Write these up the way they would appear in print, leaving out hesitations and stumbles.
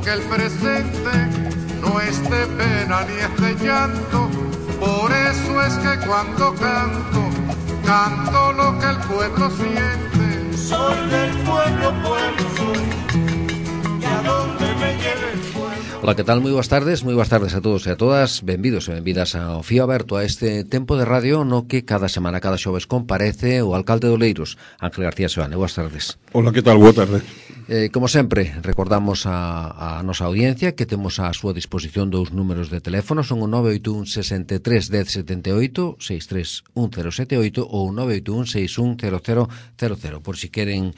que el presente no es de pena ni es de llanto. Por eso es que cuando canto, canto lo que el pueblo siente. Soy del pueblo, pueblo soy, y a donde me lleve el pueblo. Ola, que tal? Moi boas tardes a todos e a todas. Benvidos e benvidas ao Fío Aberto, a este tempo de radio no que cada semana, cada xoves, comparece o alcalde de Oleiros, Ángel García Seoane. Boas tardes. Ola, que tal? Boa tarde. Como sempre, recordamos a nosa audiencia que temos a súa disposición dous números de teléfono, son o 981 63 10 78, 63 1078 ou 981 61 0000, por si queren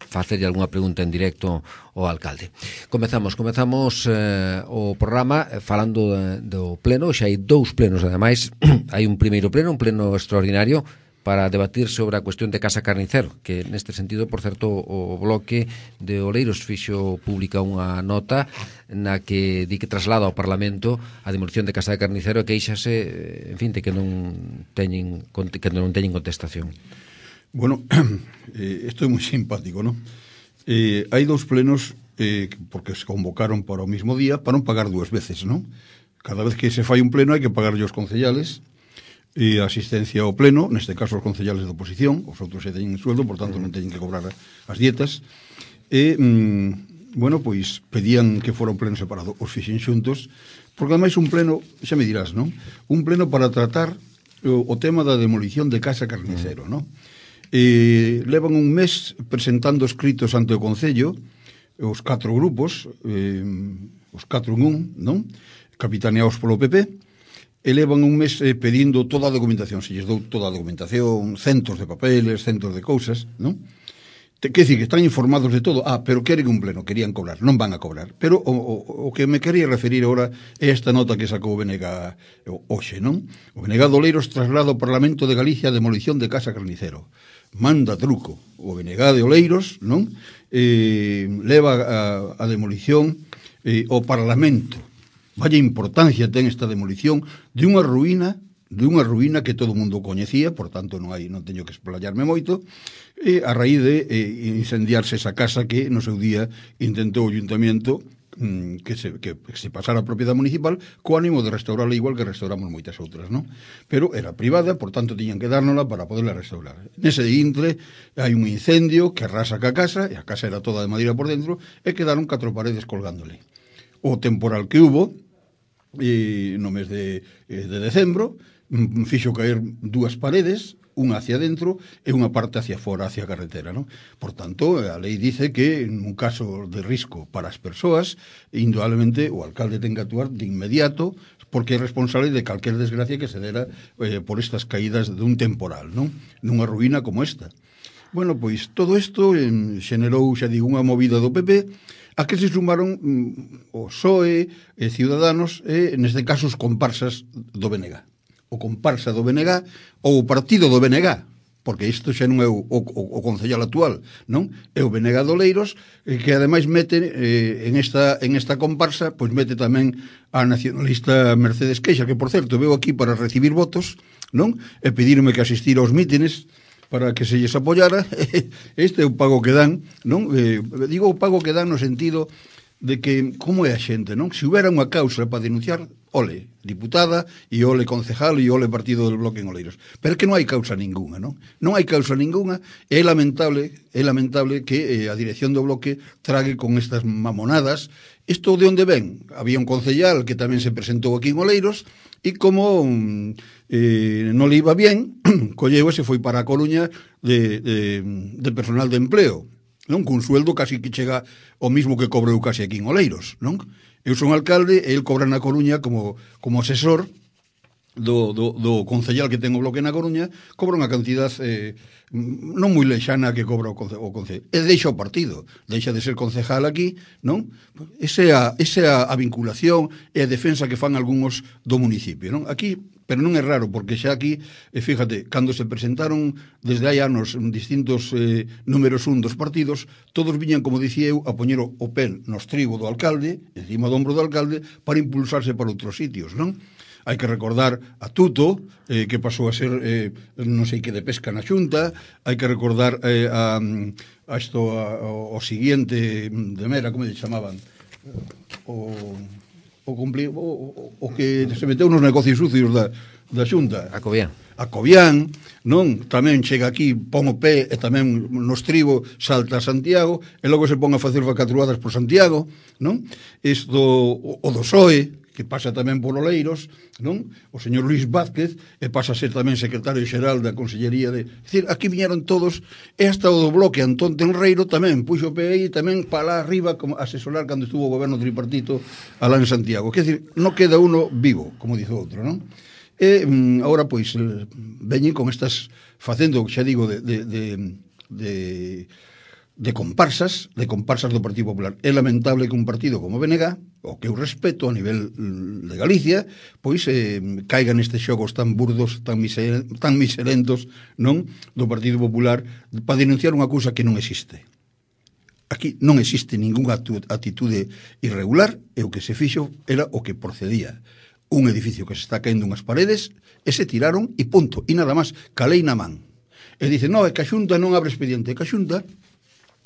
facerlle algunha pregunta en directo ao alcalde. Comezamos o programa falando do pleno. Xa hai dous plenos, ademais. Hai un primeiro pleno, un pleno extraordinario para debatir sobre a cuestión de Casa Carnicero, que neste sentido, por certo, o bloque de Oleiros fixo pública unha nota na que di que traslada ao Parlamento a demolición de Casa de Carnicero e queixase, en fin, de que non teñen contestación. Bueno, isto é moi simpático, non? Hai dous plenos porque se convocaron para o mismo día para non pagar dúas veces, non? Cada vez que se fai un pleno hai que pagarlle aos concellales e a asistencia ao pleno, neste caso os concellales de oposición, os outros se teñen sueldo, por tanto non teñen que cobrar as dietas, e, bueno, pois pedían que fora un pleno separado, os fixen xuntos, porque ademais un pleno, xa me dirás, non? Un pleno para tratar o tema da demolición de Casa Carnicero, non? Levan un mes presentando escritos ante o Concello, os 4 grupos, os 4 en un, non? Capitaneados polo PP, elevan un mes pedindo toda a documentación, se lles dou toda a documentación, centos de papeles, centos de cousas, non? Quer dicir que están informados de todo, pero queren un pleno, querían cobrar, non van a cobrar. Pero o que me quería referir agora é esta nota que sacou o BNG hoxe, non? O BNG de Oleiros traslada ao Parlamento de Galicia a demolición de Casa Carnicero. Manda truco o BNG de Oleiros, non? Leva a demolición ao Parlamento. Vaya importancia ten esta demolición de unha ruína que todo o mundo coñecía, por tanto non teño que explayarme moito, a raíz de incendiarse esa casa que no seu día intentou o Ayuntamiento que se pasara a propiedade municipal co ánimo de restaurarla igual que restauramos moitas outras, non? Pero era privada, por tanto tiñan que dárnosla para poderla restaurar. Nese intre hai un incendio que arrasa ca casa, e a casa era toda de madeira por dentro, e quedaron 4 paredes colgándole. O temporal que hubo no mes de decembro fixo caer 2 paredes, unha hacia dentro e unha parte hacia fora, hacia a carretera, non? Por tanto, a lei dice que en un caso de risco para as persoas, indudablemente o alcalde ten que actuar de inmediato porque é responsable de calquer desgracia que se dera por estas caídas dun temporal, non? Nunha ruína como esta. Bueno, pois todo isto xenerou, xa digo, unha movida do PP a que se sumaron o PSOE e Ciudadanos e, neste caso, os comparsas do BNG. O comparsa do BNG ou o partido do BNG, porque isto xa non é o concellal actual, non? É o BNG de Oleiros, que ademais mete en esta comparsa, pois mete tamén a nacionalista Mercedes Queixa, que, por certo, veo aquí para recibir votos, non? E pedirme que asistir aos mítines para que se lles apoyara. Este é o pago que dan, non? Digo o pago que dan no sentido de que, como é a xente, non? Se houbera unha causa para denunciar, ole, diputada, e ole concejal, e ole partido del bloque en Oleiros. Pero é que non hai causa ninguna, non? Non hai causa ninguna, e é lamentable que a dirección do bloque trague con estas mamonadas. Isto de onde ven? Había un concellal que tamén se presentou aquí en Oleiros, e como non le iba bien, colleu e se foi para a Coruña de personal de empleo, non? Cun sueldo casi que chega o mismo que cobrou casi aquí en Oleiros, non? Eu son alcalde e el cobra na Coruña como asesor do concellal que ten o bloque na Coruña, cobra unha cantidad non moi lexana que cobra o concellal. E deixa o partido, deixa de ser concejal aquí, non? Esa é a vinculación e a defensa que fan algúns do municipio, non? Aquí, pero non é raro, porque xa aquí, fíjate, cando se presentaron desde hai anos distintos números un dos partidos, todos viñan, como dicía eu, a poñer o pel no estribo do alcalde, encima do ombro do alcalde, para impulsarse para outros sitios, non? Hai que recordar a Tuto, que pasou a ser non sei que de pesca na Xunta, hai que recordar o siguiente de Mera, como lle chamaban, o que se meteu nos negocios sucios da Xunta. A Cobián, non? Tamén chega aquí, pon o pé e tamén no estribo salta a Santiago e logo se pon a facer vacatruadas por Santiago, non? Isto, o do PSOE, que pasa tamén por Oleiros, non? O señor Luís Vázquez e pasa a ser tamén secretario xeral da Consellería de... É dicir, aquí viñeron todos e hasta o do bloque Antón Tenreiro tamén puxo o pé aí tamén para lá arriba como asesorar cando estuvo o goberno tripartito alá en Santiago. Quer dicir, non queda uno vivo, como dice outro, non? E agora, pois, veñen con estas, facendo, xa digo, de comparsas do Partido Popular. É lamentable que un partido como BNG, o que eu respeto a nivel de Galicia, pois caigan nestes xogos tan burdos, tan miserentos, non, do Partido Popular, para denunciar unha cousa que non existe. Aquí non existe ningunha atitude irregular, e o que se fixo era o que procedía. Un edificio que se está caendo unhas paredes e se tiraron e punto, e nada máis, calei na man. E dicen, non, é que a Xunta non abre expediente, que a Xunta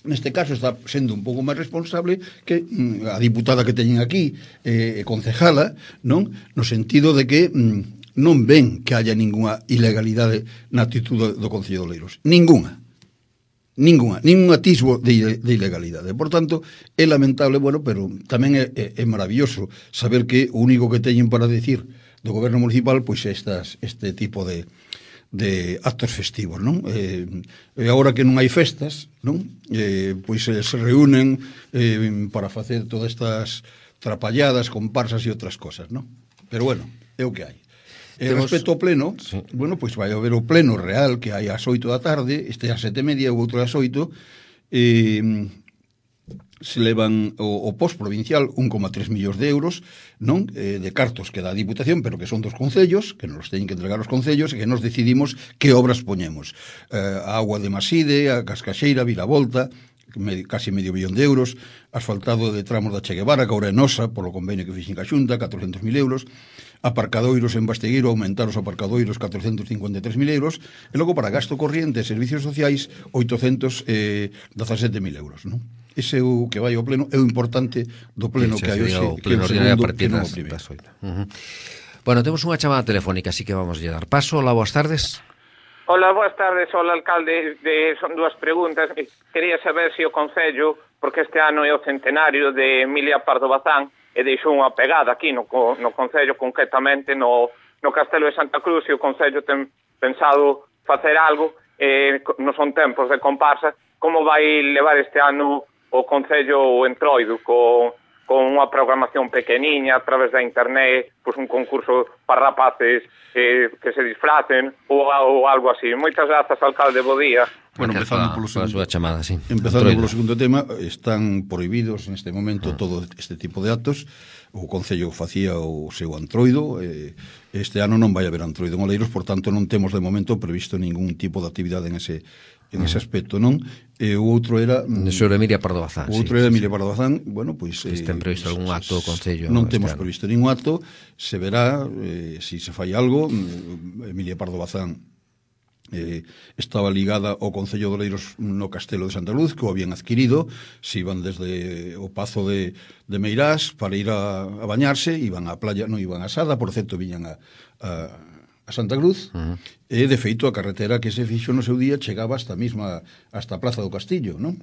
neste caso está sendo un pouco máis responsable que a diputada que teñen aquí, concejala, non? No sentido de que non ven que haya ninguna ilegalidade na actitude do Concello de Oleiros. Ningún atisbo de ilegalidade. Por tanto, é lamentable, bueno, pero tamén é maravilloso saber que o único que teñen para decir do goberno municipal pois é este tipo de actos festivos, non? E agora que non hai festas, non? Pois se reúnen para facer todas estas trapalladas, comparsas e outras cosas, non? Pero bueno, é o que hai. Respecto ao pleno, sí. Bueno, pois vai haber o pleno real que hai ás 8 da tarde, este ás 7:30 ou outro ás 8, se levan o postprovincial 1,3 millóns de euros, non? De cartos que dá a Diputación, pero que son dos concellos, que nos teñen que entregar os concellos e que nos decidimos que obras poñemos. A Agua de Maside, a Cascaxeira, Vilavolta, casi medio billón de euros, asfaltado de tramos da Che Guevara, que ahora é nosa, polo convenio que fixen ca Xunta, 400.000 euros, aparcadoiros en Bastegueiro, aumentar os aparcadoiros 453.000 euros, e logo para gasto corriente e servicios sociais 817.000 euros, non? Ese é o que vai ao pleno, é o importante do pleno que hai hoxe, que é o segundo, que non o primeiro. Bueno, temos unha chamada telefónica, así que vamos a dar paso. Hola, boas tardes. Hola, boas tardes, hola, alcalde. Son dúas preguntas. Quería saber se o Concello, porque este ano é o centenario de Emilia Pardo Bazán, e deixou unha pegada aquí no Concello, concretamente no Castelo de Santa Cruz, e o Concello ten pensado facer algo, non son tempos de comparsa. Como vai levar este ano o Concello o Entroido con unha programación pequeniña a través da internet, pois un concurso para rapaces que se disfracen ou algo así? Moitas grazas, alcalde, bo día. Bueno, empezando polo segundo, chamada, sí. Empezando polo segundo tema, están prohibidos neste momento todo este tipo de actos. O Concello facía o seu antroido, este ano non vai haber antroido en Oleiros, por tanto non temos de momento previsto ningún tipo de actividade en ese aspecto, non? E o outro era sobre Emilia Pardo Bazán. O outro era Emilia Pardo Bazán, bueno, pois ten previsto algún acto do Concello? Non temos previsto ningún acto, se verá se fai algo. Emilia Pardo Bazán estaba ligada ao Concello de Oleiros no Castelo de Santa Luz, que o habían adquirido, se iban desde o Pazo de Meirás para ir a bañarse, iban á playa, non iban a Sada, por certo, viñan a Santa Cruz, e de feito a carretera que se fixo no seu día chegaba hasta a Plaza do Castillo, non?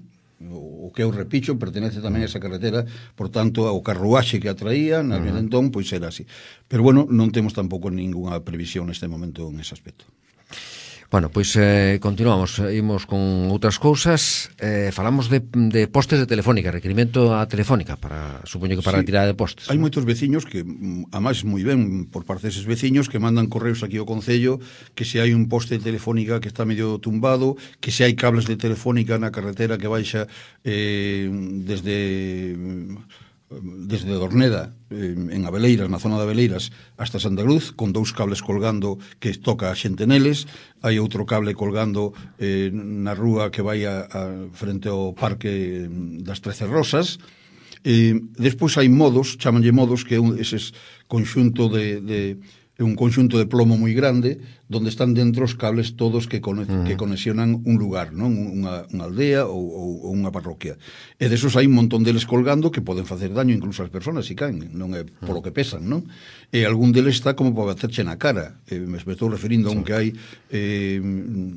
O que é o Repicho pertenece tamén a esa carretera, por tanto, ao carruaxe que atraía, na entón, pois era así. Pero bueno, non temos tampouco ninguna previsión neste momento en ese aspecto. Bueno, pois continuamos, imos con outras cousas. Falamos de postes de Telefónica, requerimento a Telefónica, supoño que para a tirada de postes. Hai moitos veciños que, además, moi ben por parte deses veciños, que mandan correos aquí ao Concello, que se hai un poste de Telefónica que está medio tumbado, que se hai cables de Telefónica na carretera que baixa desde Dorneda, en Abeleiras, na zona de Abeleiras, hasta Santa Cruz, con 2 cables colgando que toca a xente neles. Hai outro cable colgando na rúa que vai frente ao Parque das 13 Rosas. Despois hai modos, chamanlle modos, que é eses conxunto de un conxunto de plomo moi grande donde están dentro os cables todos que conexionan un lugar, non? Unha aldea ou unha parroquia. E desos hai un montón deles colgando que poden facer daño incluso ás persoas se caen, non é polo que pesan, non? E algún deles está como para baterche na cara. Me estou referindo a un que hai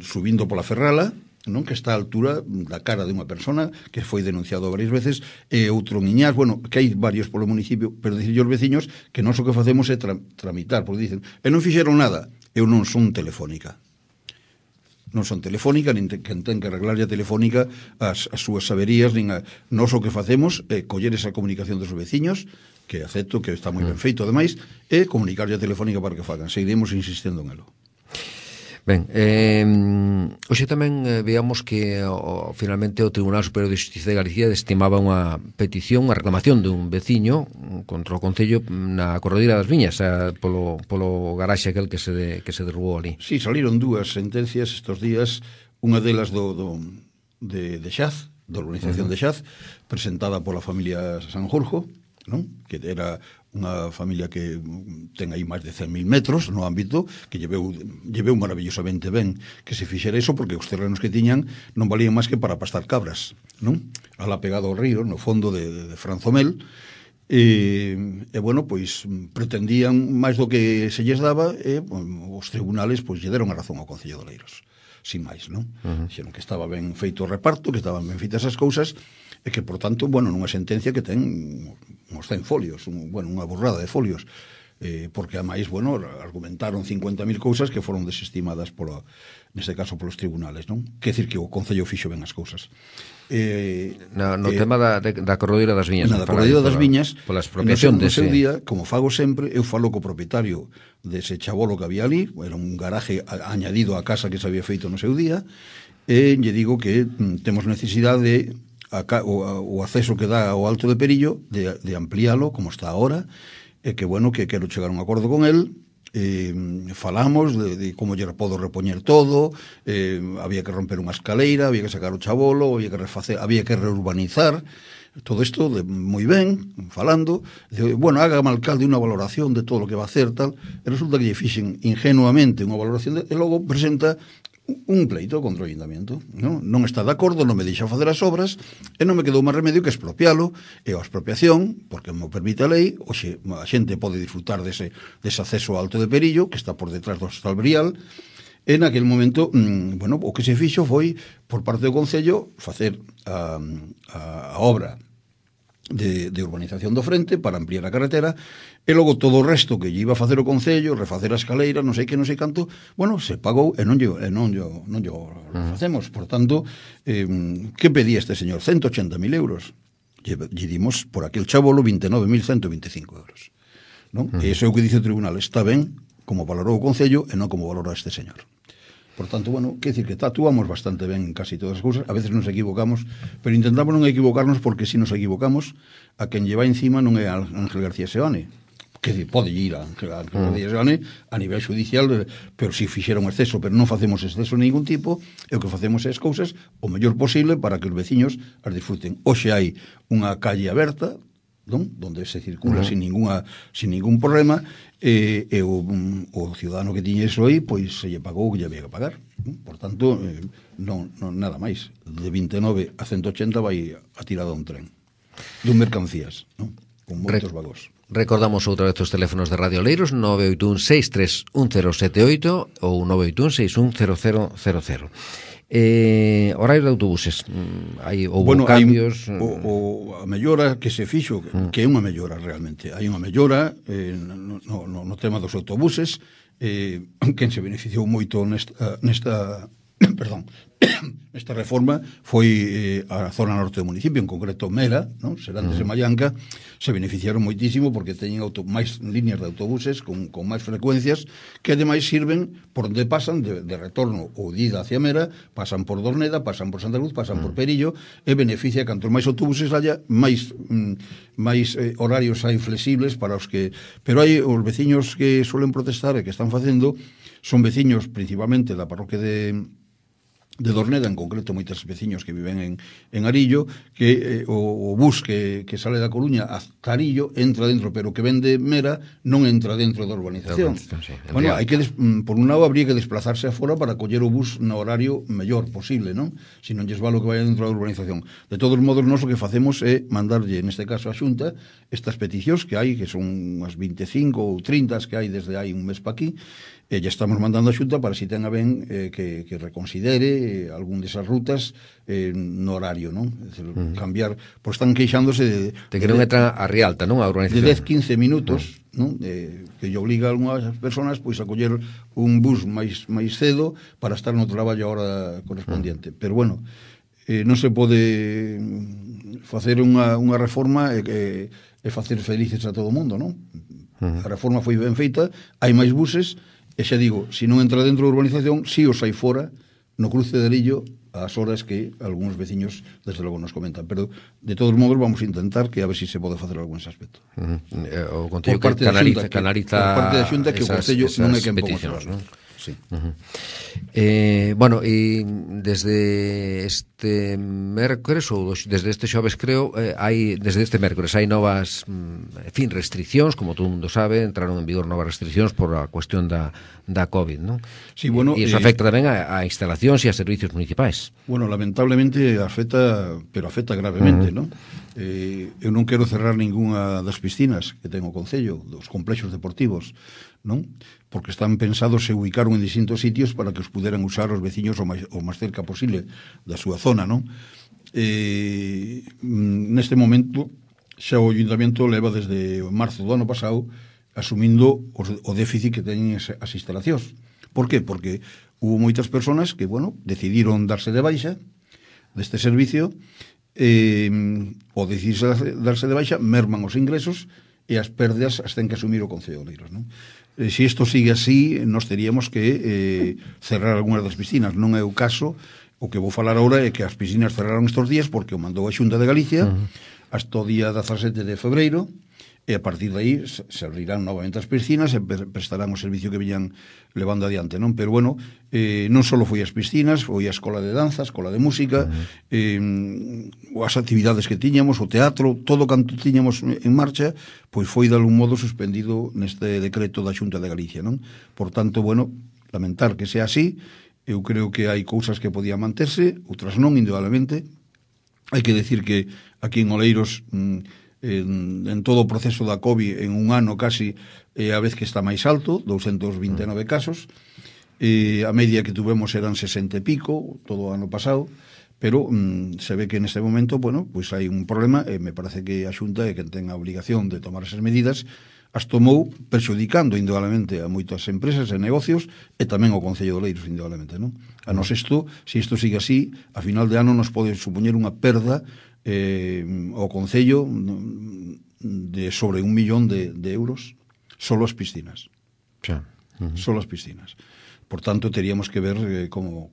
subindo pola Ferrala, non, que está a altura da cara de unha persona que foi denunciado varias veces, e outro niñás, bueno, que hai varios polo municipio, pero dicirlle aos veciños que nós o que facemos é tramitar, porque dicen, e non fixeron nada. Eu non son Telefónica, nin quen ten que arreglar a Telefónica as súas saberías, nin nós o que facemos é coller esa comunicación dos veciños, que acepto que está moi ben feito ademais, e comunicarlle a Telefónica para que fagan. Seguiremos insistindo en elo. Ben, hoxe tamén veamos que finalmente o Tribunal Superior de Xustiza de Galicia estimaba unha petición, unha reclamación de un veciño contra o Concello na Corredeira das Viñas, polo garaxe aquel que se derrubou ali. Sí, saliron dúas sentencias estos días, unha delas de Xaz, da organización de Xaz, presentada pola familia Sanjurjo, non? Que era unha familia que ten aí máis de 100.000 metros no ámbito, que lleveu maravillosamente ben que se fixera iso, porque os terrenos que tiñan non valían máis que para pastar cabras, non? Alá pegado ao río, no fondo de Franzomel, e bueno, pois pretendían máis do que se lles daba, e os tribunales pois lle deron a razón ao Concello de Oleiros, sin máis, non? Dixeron que estaba ben feito o reparto, que estaban ben feitas as cousas, e que, por tanto, bueno, nunha sentencia que ten uns 100 folios, unha burrada de folios, porque, ademais, bueno, argumentaron 50.000 cousas que foron desestimadas, neste caso, polos tribunales, non? Quer decir que o Concello fixo ben as cousas. No tema da Corredeira das Viñas. Da Corredeira das Viñas, pola expropiación no seu día, como fago sempre, eu falo co propietario dese chabolo que había ali, era un garaje añadido á casa que se había feito no seu día, e lle digo que temos necesidade de o acceso que dá ao Alto de Perillo de ampliálo como está ahora, e que bueno, que quero chegar a un acordo con el. Falamos de como lle podo repoñer todo, había que romper unha escaleira, había que sacar o chabolo, había que reurbanizar todo isto moi ben, falando, bueno, hágame alcalde unha valoración de todo o que va a hacer, tal, e resulta que lle fixen ingenuamente unha valoración e logo presenta un pleito contra o ayuntamiento, non está de acordo, non me deixa facer as obras, e non me quedou máis remedio que expropialo, e a expropiación, porque me permite a lei, hoxe a xente pode disfrutar dese acceso ao Alto de Perillo, que está por detrás do Hostal Brial. En aquel momento, bueno, o que se fixo foi, por parte do Concello, facer a obra de urbanización do frente para ampliar a carretera, e logo todo o resto que lle iba a facer o Concello, refacer a escaleira, non sei canto, bueno, se pagou e non yo facemos. Por tanto, que pedía este señor? 180.000 euros. Lle dimos por aquel chabolo 29.125 euros. Non? E iso é o que dice o tribunal. Está ben como valorou o Concello e non como valorou este señor. Por tanto, bueno, quer dicir que actuamos bastante ben en casi todas as cousas, a veces nos equivocamos, pero intentamos non equivocarnos, porque se nos equivocamos, a quen lleva encima non é Ángel García Seoane, que pode ir a Ángel García Seoane a nivel judicial, pero si fixera un exceso, pero non facemos exceso de ningún tipo, e o que facemos é as cousas o mellor posible para que os veciños as disfruten. Hoxe hai unha calle aberta, donde se circula sin ningún problema, e o ciudadano que tiña iso aí, pois se lle pagou o que lle había que pagar. Por tanto, non nada máis. De 29 a 180 vai a tirada un tren dun mercancías, con moitos vagos. Recordamos outra vez os teléfonos de Radio Oleiros, 981-631078 ou 981-610000. Horario de autobuses, houve cambios. A mellora que se fixo, que é unha mellora realmente, hai unha mellora no tema dos autobuses, quen se beneficiou moito nesta esta reforma foi a zona norte do municipio, en concreto Mera, Serantes e Mallanca, se beneficiaron moitísimo porque teñen máis líneas de autobuses con máis frecuencias, que ademais sirven por onde pasan de retorno ou de ida hacia Mera, pasan por Dorneda, pasan por Santa Luz, pasan por Perillo, e beneficia cantos máis autobuses haya, máis horarios hai flexibles para os que... Pero hai os veciños que suelen protestar e que están facendo, son veciños principalmente da parroquia de de Dorneda, en concreto moitos veciños que viven en Arillo, que o bus que sale da Coruña hasta Arillo entra dentro, pero que ven de Mera non entra dentro da urbanización. Sí, Bueno, hai que por un lado habría que desplazarse afora para coller o bus no horario mellor posible, non? Si non lles vale o que vaya dentro da urbanización. De todos modos, nós o que facemos é mandarlle, neste caso a Xunta, estas peticións que hai, que son unhas 25 ou 30 que hai desde hai un mes pa aquí, e ya estamos mandando a Xunta para si ten a ben que reconsidere algún desas rutas no horario, non? Es decir, cambiar, pois están queixándose de que non entra a Rialta, non? A urbanización. De 10-15 minutos, non? Que lle obliga a algunhas persoas pois a coller un bus máis cedo para estar no traballo a hora correspondiente. Pero bueno, non se pode facer unha reforma e facer felices a todo o mundo, non? A reforma foi ben feita, hai máis buses. E xa digo, se non entra dentro da urbanización, si os hai fora, no cruce de Arillo, ás horas que algúns veciños, desde logo, nos comentan. Pero, de todos modos, vamos a intentar que a ver se se pode facer algún ese aspecto. O Concello que canaliza por parte da Xunta, que o Concello non é quen ponga as non? Sí. Bueno, e desde este mércores ou desde este xoves, creo, desde este mércores hai novas restriccións, como todo mundo sabe, entraron en vigor novas restriccións por a cuestión da COVID, non? Sí, bueno, e iso afecta tamén a instalacións e a servicios municipais. Bueno, lamentablemente afecta gravemente, non? Eu non quero cerrar ningunha das piscinas que ten o Concello, dos complexos deportivos, non? Porque están pensados e ubicaron en distintos sitios para que os puderan usar os veciños o máis cerca posible da súa zona, non? Neste momento xa o Ayuntamiento leva desde marzo do ano pasado asumindo o déficit que teñen as instalacións. Por qué? Porque hubo moitas persoas que, bueno, decidiron darse de baixa deste servicio, o decidirse darse de baixa merman os ingresos e as perdas as ten que asumir o Concello de Oleiros, non? Se isto sigue así, nos teríamos que cerrar algunhas das piscinas. Non é o caso. O que vou falar agora é que as piscinas cerraron estes días porque o mandou a Xunta de Galicia hasta o día 17 de febreiro, e a partir de aí se abrirán novamente as piscinas e prestarán o servicio que viñan levando adiante, non? Pero bueno, non só foi as piscinas, foi a escola de danza, a escola de música, as actividades que tiñamos, o teatro, todo canto tiñamos en marcha, pois foi de algún modo suspendido neste decreto da Xunta de Galicia, non? Por tanto, bueno, lamentar que sea así. Eu creo que hai cousas que podían manterse, outras non, indudablemente. Hai que decir que aquí en Oleiros, en todo o proceso da COVID, en un ano casi, a vez que está máis alto, 229 casos, a media que tuvemos eran 60 e pico todo o ano pasado, pero se ve que neste momento, bueno, pois hai un problema, e me parece que a Xunta é quen ten a obligación de tomar esas medidas. As tomou perxudicando indudablemente a moitas empresas e negocios, e tamén ao Concello de Oleiros, indudablemente, non? A nos isto, se isto sigue así, a final de ano nos pode supoñer unha perda ao Concello de sobre 1 millón de euros solo as piscinas. Solo as piscinas. Por tanto, teríamos que ver como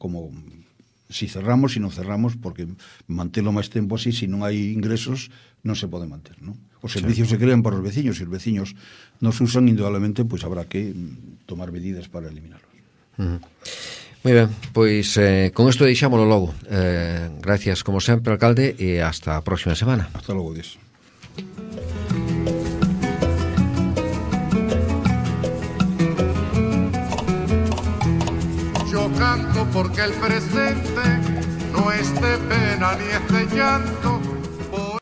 si cerramos, si non cerramos, porque mantelo máis tempo así, se non hai ingresos, non se pode manter, non? Os servicios se crean para os veciños, e os veciños nos usan, indudablemente, pois habrá que tomar medidas para eliminarlos. Moi ben, pois con isto deixámoslo logo. Gracias, como sempre, alcalde, e hasta a próxima semana. Hasta logo, Dios. Yo canto porque el presente no es de pena ni es de llanto,